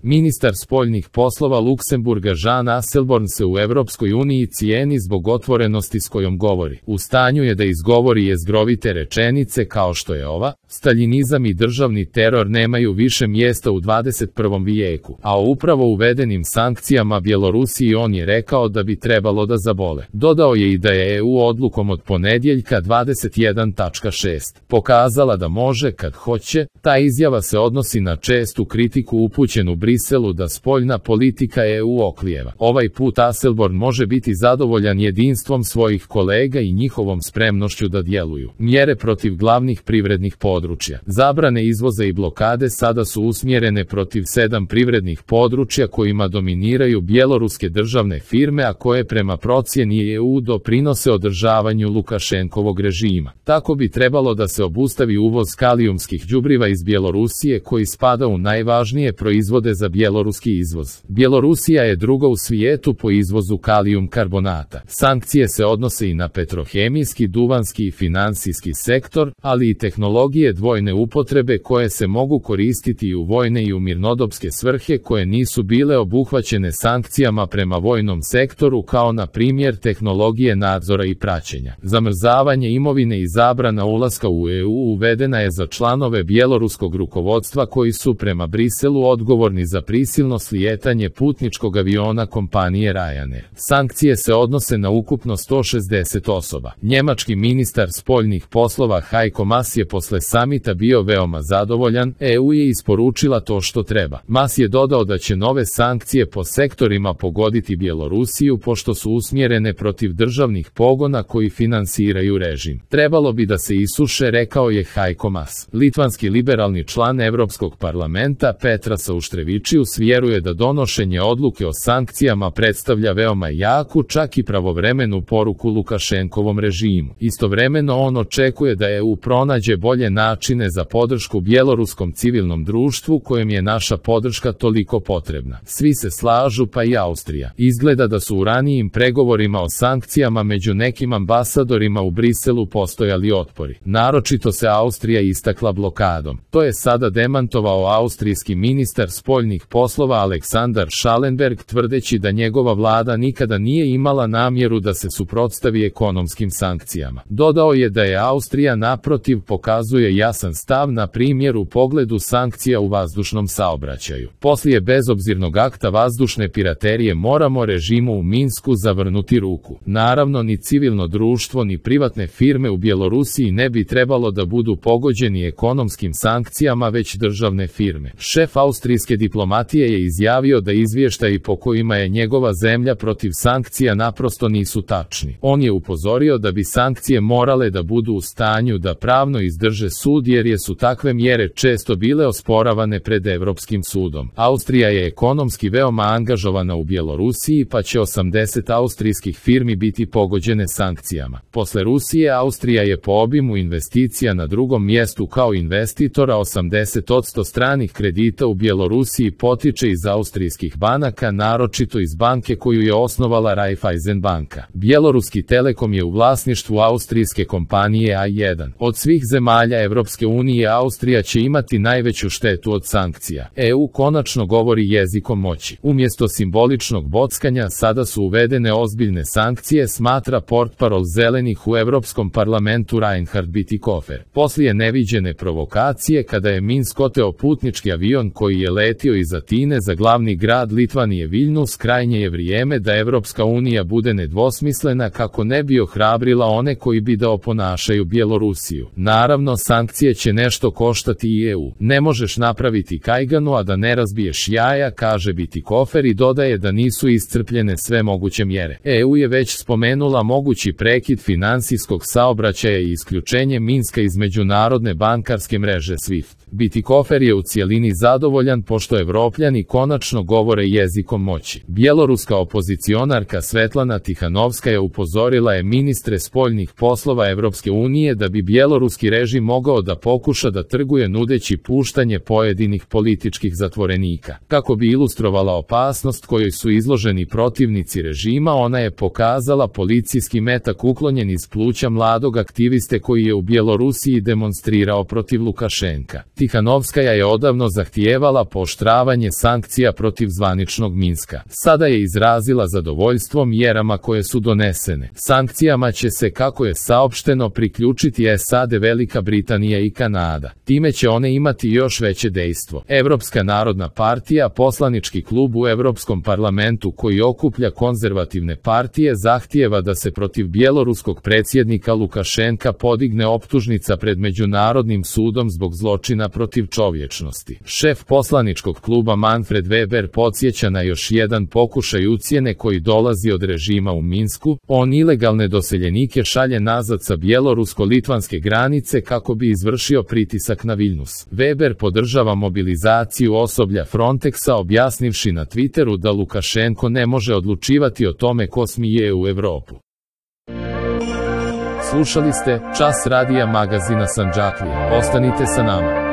Ministar spoljnih poslova Luksemburga Jean Asselborn se u Evropskoj uniji cijeni zbog otvorenosti s kojom govori. U stanju je da izgovori jezgrovite rečenice kao što je ova: staljinizam i državni teror nemaju više mjesta u 21. vijeku, a o upravo uvedenim sankcijama Bjelorusiji on je rekao da bi trebalo da zabole. Dodao je i da je EU odlukom od ponedjeljka 21.6 pokazala da može kad hoće. Ta izjava se odnosi na čestu kritiku upućenu Briselu da spoljna politika EU oklijeva. Ovaj put Asselborn može biti zadovoljan jedinstvom svojih kolega i njihovom spremnošću da djeluju. Mjere protiv glavnih privrednih područja. Zabrane izvoza i blokade sada su usmjerene protiv 7 privrednih područja kojima dominiraju bjeloruske državne firme, a koje prema procjeni EU doprinose održavanju Lukašenkovog režima. Tako bi trebalo da se obustavi uvoz kalijumskih đubriva iz Bjelorusije, koji spada u najvažnije proizvode za bjeloruski izvoz. Bjelorusija je druga u svijetu po izvozu kalijum karbonata. Sankcije se odnose i na petrohemijski, duvanski i finansijski sektor, ali i tehnologije dvojne upotrebe koje se mogu koristiti i u vojne i u mirnodopske svrhe koje nisu bile obuhvaćene sankcijama prema vojnom sektoru, kao na primjer tehnologije nadzora i praćenja. Zamrzavanje imovine i zabrana ulaska u EU uvedena je za članove bjeloruskog rukovodstva koji su prema Briselu odgovorni za prisilno slijetanje putničkog aviona kompanije Ryanair. Sankcije se odnose na ukupno 160 osoba. Njemački ministar spoljnih poslova Heiko Maas je posle samita bio veoma zadovoljan. EU je isporučila to što treba. Maas je dodao da će nove sankcije po sektorima pogoditi Bjelorusiju pošto su usmjerene protiv državnih pogona koji finansiraju režim. Trebalo bi da se isuše, rekao je Heiko Maas. Litvanski liberalni član Europskog parlamenta Petras Auštrevičius vjeruje da donošenje odluke o sankcijama predstavlja veoma jaku, čak i pravovremenu poruku Lukašenkovom režimu. Istovremeno on očekuje da EU pronađe bolje načine za podršku bjeloruskom civilnom društvu kojem je naša podrška toliko potrebna. Svi se slažu, pa i Austrija. Izgleda da su u ranijim pregovorima o sankcijama među nekim ambasadorima u Briselu postojali otpori. Naročito se Austrija istakla blokadom. To je sada demantovao austrijski ministar spoljnih poslova Aleksandar Schallenberg, tvrdeći da njegova vlada nikada nije imala namjeru da se suprotstavi ekonomskim sankcijama. Dodao je da je Austrija naprotiv pokazuje jasan stav, na primjer u pogledu sankcija u vazdušnom saobraćaju. Poslije bezobzirnog akta vazdušne piraterije moramo režimu u Minsku zavrnuti ruku. Naravno, ni civilno društvo ni privatne firme u Bjelorusiji ne bi trebalo da budu pogođeni ekonomskim sankcijama, već državne firme. Šef austrijske diplomatije je izjavio da izvještaji po kojima je njegova zemlja protiv sankcija naprosto nisu tačni. On je upozorio da bi sankcije morale da budu u stanju da pravno izdrže sud, jer su takve mjere često bile osporavane pred Europskim sudom. Austrija je ekonomski veoma angažovana u Bjelorusiji, pa će 80 austrijskih firmi biti pogođene sankcijama. Posle Rusije, Austrija je po obimu investicija na drugom mjestu kao investitora. 80% stranih kredita u Bjelorusiji potiče iz austrijskih banaka, naročito iz banke koju je osnovala Raiffeisen banka. Bjeloruski Telekom je u vlasništvu austrijske kompanije A1. Od svih zemalja Evropske unije Austrija će imati najveću štetu od sankcija. EU konačno govori jezikom moći. Umjesto simboličnog bockanja sada su uvedene ozbiljne sankcije, smatra portparol zelenih u Europskom parlamentu Reinhard Bütikofer. Poslije neviđene provokacije kada je Minsk oteo putnički avion koji je letio iz Atine za glavni grad Litvanije Viljnus, krajnje je vrijeme da Evropska unija bude nedvosmislena kako ne bi ohrabrila one koji bi da oponašaju Bjelorusiju. Naravno, sankcije će nešto koštati i EU. Ne možeš napraviti kajganu, a da ne razbiješ jaja, kaže Bütikofer, i dodaje da nisu iscrpljene sve moguće mjere. EU je već spomenula mogući prekid finansijskog saobraćaja i isključenje Minska iz međunarodne bankarske mreže SWIFT. Bütikofer je u cijelini zadovoljan pošto Evropljani konačno govore jezikom moći. Bjeloruska opozicionarka Svetlana Tihanovskaja upozorila je ministre spoljnih poslova Evropske unije da bi bjeloruski režim mogao da pokuša da trguje nudeći puštanje pojedinih političkih zatvorenika. Kako bi ilustrovala opasnost kojoj su izloženi protivnici režima, ona je pokazala policijski metak uklonjen iz pluća mladog aktiviste koji je u Bjelorusiji demonstrirao protiv Lukašenka. Tihanovskaja je odavno zahtijevala pooštravanje produžavanje sankcija protiv zvaničnog Minska. Sada je izrazila zadovoljstvo mjerama koje su donesene. Sankcijama će se, kako je saopšteno, priključiti SAD, Velika Britanija i Kanada. Time će one imati još veće dejstvo. Evropska narodna partija, poslanički klub u Evropskom parlamentu koji okuplja konzervativne partije, zahtijeva da se protiv bjeloruskog predsjednika Lukašenka podigne optužnica pred Međunarodnim sudom zbog zločina protiv čovječnosti. Šef poslaničkog kluba Manfred Weber podsjeća na još jedan pokušaj ucjene koji dolazi od režima u Minsku. On ilegalne doseljenike šalje nazad sa bjelorusko-litvanske granice kako bi izvršio pritisak na Viljnus. Weber podržava mobilizaciju osoblja Frontexa, objasnivši na Twitteru da Lukašenko ne može odlučivati o tome ko smije u Europu. Slušali ste Čas radija magazina Sandžaklija. Ostanite sa nama.